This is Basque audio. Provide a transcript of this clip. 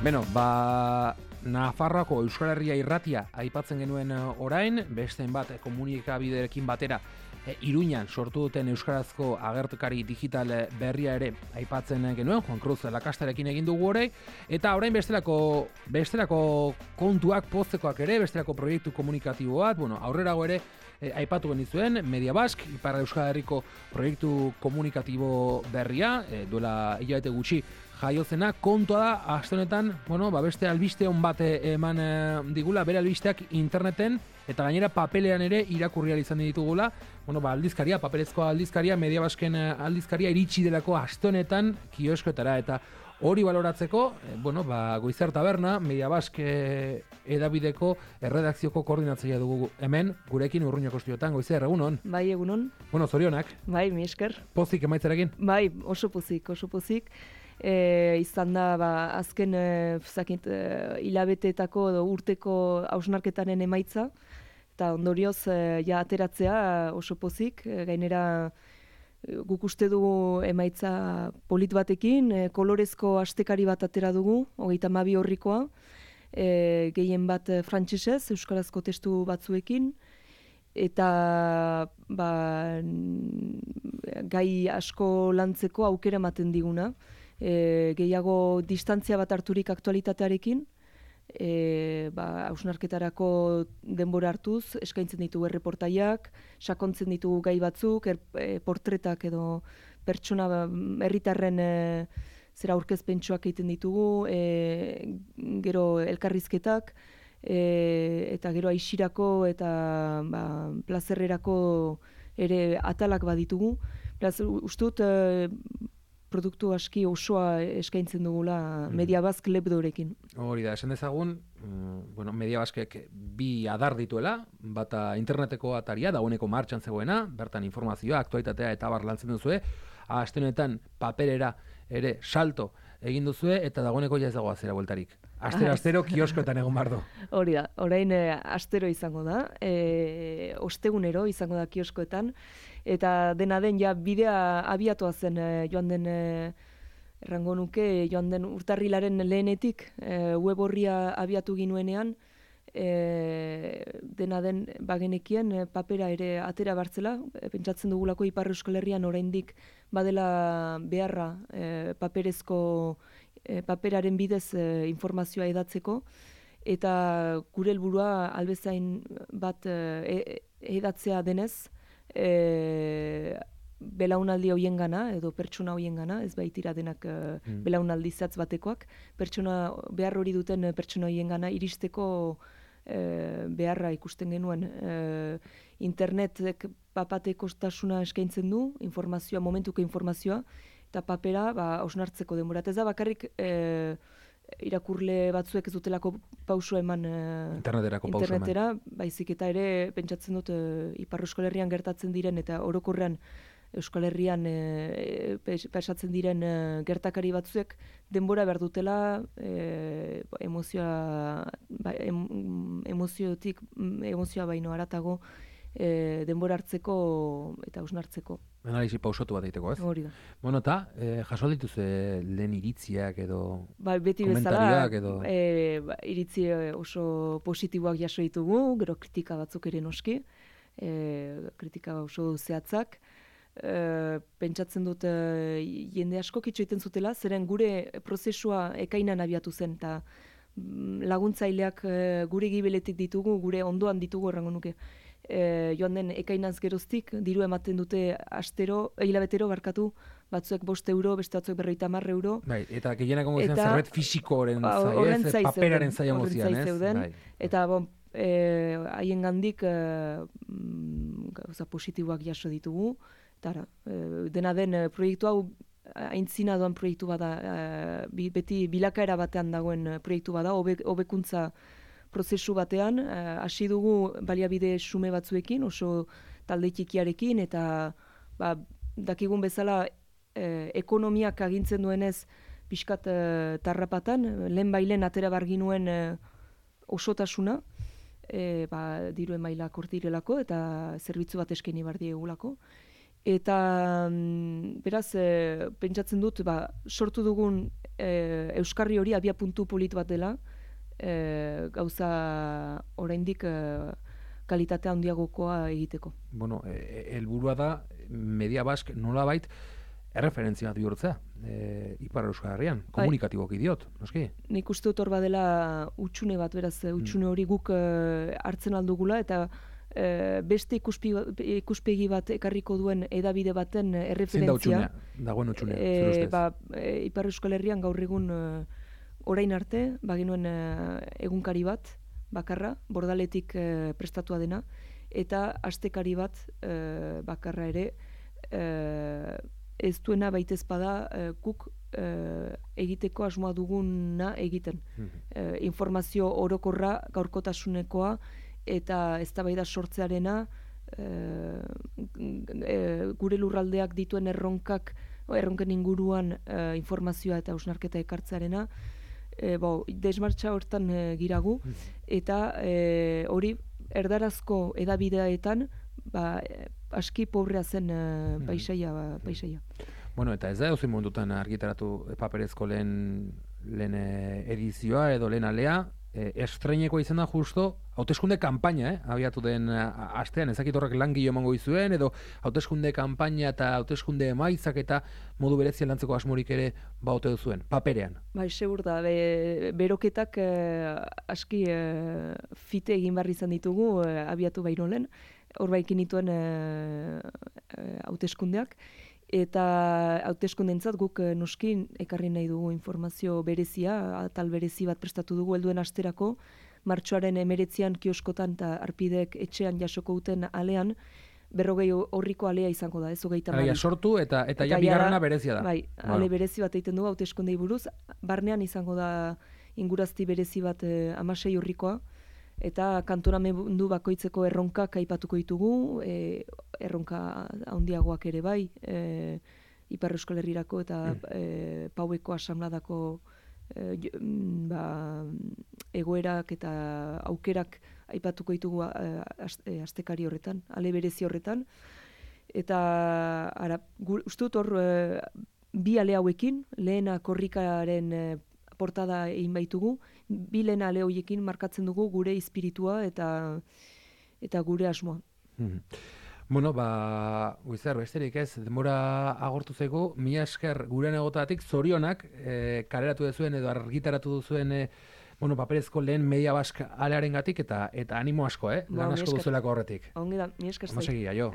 Beno, Nafarroako Euskal Herria irratia aipatzen genuen orain, besteen bat komunikabiderekin batera Iruñan sortu duten euskarazko agertukari digital berria ere aipatzen genuen, Juan Cruz Lakastarekin egin dugu orain, eta orain bestelako kontuak poztekoak ere, bestelako proiektu komunikatibo bat, aurrerago ere aipatu genizuen, Media Basque, Ipar Euskal Herriko proiektu komunikatibo berria, duela hilabete gutxi jaiozena, kontua da, aste honetan, beste albiste on bat eman digula, bere albisteak interneten, eta gainera papelean ere irakurri ahal izan ditugula, aldizkaria, papelezko aldizkaria, Media Basken aldizkaria iritsi delako aste honetan kioskoetara, eta hori baloratzeko, Goizar Taberna, Media Baske edabideko erredakzioko koordinatzailea dugu hemen, gurekin Urruñako estudiotan. Goizar, egunon? Bai, egunon. Zorionak. Bai, mi esker. Pozik emaitzarekin? Bai, oso pozik. Izan da, azken hilabeteetako edo urteko hausnarketaren emaitza, eta ondorioz ateratzea oso pozik, gainera guk uste dugu emaitza polit batekin, kolorezko astekari bat atera dugu, 32 horrikoa, gehien bat frantsesez, euskarazko testu batzuekin, eta gai asko lantzeko aukera ematen diguna, gehiago distantzia bat harturik aktualitatearekin, hausnarketarako denbora hartuz, eskaintzen ditugu erreportaiak, sakontzen ditugu gai batzuk, portretak edo pertsona herritarren zera aurkezpentsuak egiten ditugu, gero elkarrizketak, eta gero aixirako eta plazerrerako ere atalak baditugu. Beraz, ustut produktu aski osoa eskaintzen dugula Media Basque lebdorekin. Hori da, esan dezagun, Media Baskek bi adar dituela, bata interneteko ataria, dagoeneko martxan zegoena, bertan informazioa, aktualitatea eta bar lantzen duzue, aste honetan paperera ere salto egin duzue, eta dagoeneko ja ez dago azera bueltarik. Astero kioskoetan egon bardo. Hori da, orain astero izango da, ostegunero izango da kioskoetan, eta dena den ja bidea abiatua zen joan den errango nuke, joan den urtarrilaren lehenetik web horria abiatu ginuenean, dena den bagenekien papera ere atera bartzela, pentsatzen dugulako Ipar Euskal Herrian oraindik badela beharra paperaren bidez informazioa edatzeko, eta gure helburua albezain bat edatzea denez, belaunaldi hoien gana, edo pertsona hoien gana, ez baitira denak belaunaldi zatz batekoak, behar hori duten pertsona hoien gana iristeko beharra ikusten genuen. Internetek papatekostasuna eskaintzen du, momentuko informazioa, eta papera hausnartzeko denbora. Ez da bakarrik irakurle batzuek ez dutelako pausua eman internetera, baizik eta ere pentsatzen dut Ipar Euskal Herrian gertatzen diren eta orokorrean Euskal Herrian pasatzen diren gertakari batzuek denbora behar dutela emozioa baino haratago denbora hartzeko eta hausnartzeko. Analisi pausatu bat egiteko, ez? Hori da. Eta, jaso dituzue lehen iritziak edo beti komentariak edo... iritzi oso positiboak jaso ditugu, gero kritika batzuk ere noski, kritika oso zehatzak. Pentsatzen dut jende asko kitxo egiten zutela, zeren gure prozesua ekainan abiatu zen, eta laguntzaileak gure gibeletik ditugu, gure ondoan ditugu errango nuke. Joan den ekainaz geroztik, diru ematen dute hilabetero barkatu, batzuek 5 euro, beste batzuek 50 euro. Bai, eta gehienak ongo izan zerbait fisikoren zai, paperaren zai emozian, ez? Eta haien gandik positiboak jaso ditugu. Dena den proiektu hau aintzina doan proiektu bada, beti bilakaera batean dagoen proiektu bada, hobekuntza prozesu batean, hasi dugu baliabide xume batzuekin, oso talde txikiarekin, eta dakigun bezala ekonomiak agintzen duenez pixkat tarrapatan, lehen bailen atera barginuen osotasuna, diruen mailak hor direlako, eta zerbitzu bat eskaini bar diegulako. Eta beraz, pentsatzen dut, sortu dugun Euskarri hori abia puntu polit bat dela, gauza oraindik kalitate handiagokoa egiteko. Bueno, helburua da Media Bask nolabait erreferentzia bat bihurtzea, Ipar Euskal Herrian, komunikatiboki diot, noski? Nik uste dut hor badela utxune bat, beraz, utxune hori guk hartzen aldugula, eta beste ikuspegi bat ekarriko duen edabide baten erreferentzia. Zein da dagoen utxunea, zer ustez? Ipar Euskal Herrian gaur egun orain arte, bagenuen egunkari bat, bakarra, Bordaletik prestatua dena, eta astekari bat bakarra ere, ez duena baitez bada guk egiteko asmoa duguna egiten. Informazio orokorra, gaurkotasunekoa, eta eztabaida sortzearena, gure lurraldeak dituen erronken inguruan informazioa eta hausnarketa ekartzearena, desmartxa hortan giragu, eta hori erdarazko edabideetan aski pobrea zen paisaia. Bueno, eta ez da edozein momentutan argitaratu paperezko lehen edizioa edo lehen alea, estreinekoa izan da justo hauteskunde kanpaina, abiatu den astean, ezakit horrek langile emango izuen, edo hauteskunde kanpaina eta hauteskunde emaitzak eta modu berezian lantzeko asmorik ere baute duzuen, paperean. Segur da, beroketak aski fite egin barri izan ditugu, abiatu baino lehen, hor baikin dituen hauteskundeak, eta hauteskundeentzat guk noski ekarri nahi dugu informazio berezia, atal berezi bat prestatu dugu helduen asterako, martxoaren 19an kioskotan eta arpideek etxean jasoko duten alean, 40 orriko alea izango da, ez 32. Sortu eta ja bigarrena berezia da. Bai, ale berezi bat egiten dugu hauteskundei buruz, barnean izango da ingurazti berezi bat 16 orrikoa, eta kantonamendu bakoitzeko erronkak aipatuko ditugu, erronka handiagoak ere bai, Ipar Euskal Herrirako eta Paueko asamladako egoerak eta aukerak aipatuko ditugu astekari horretan, ale berezi horretan, eta uste dut hor bi ale hauekin, lehena korrikaren portada egin baitugu, bi lehen ale horiekin markatzen dugu gure espiritua eta gure asmoa. Bueno, Guizar, besterik ez, denbora agortu zego, mila esker gurean egotatik zorionak, kaleratu duzuen edo argitaratu duzuen paperezko lehen Media Bask alearen gatik eta animo asko, lan asko duzuelako horretik. Ongi da, mila esker zai. Aio.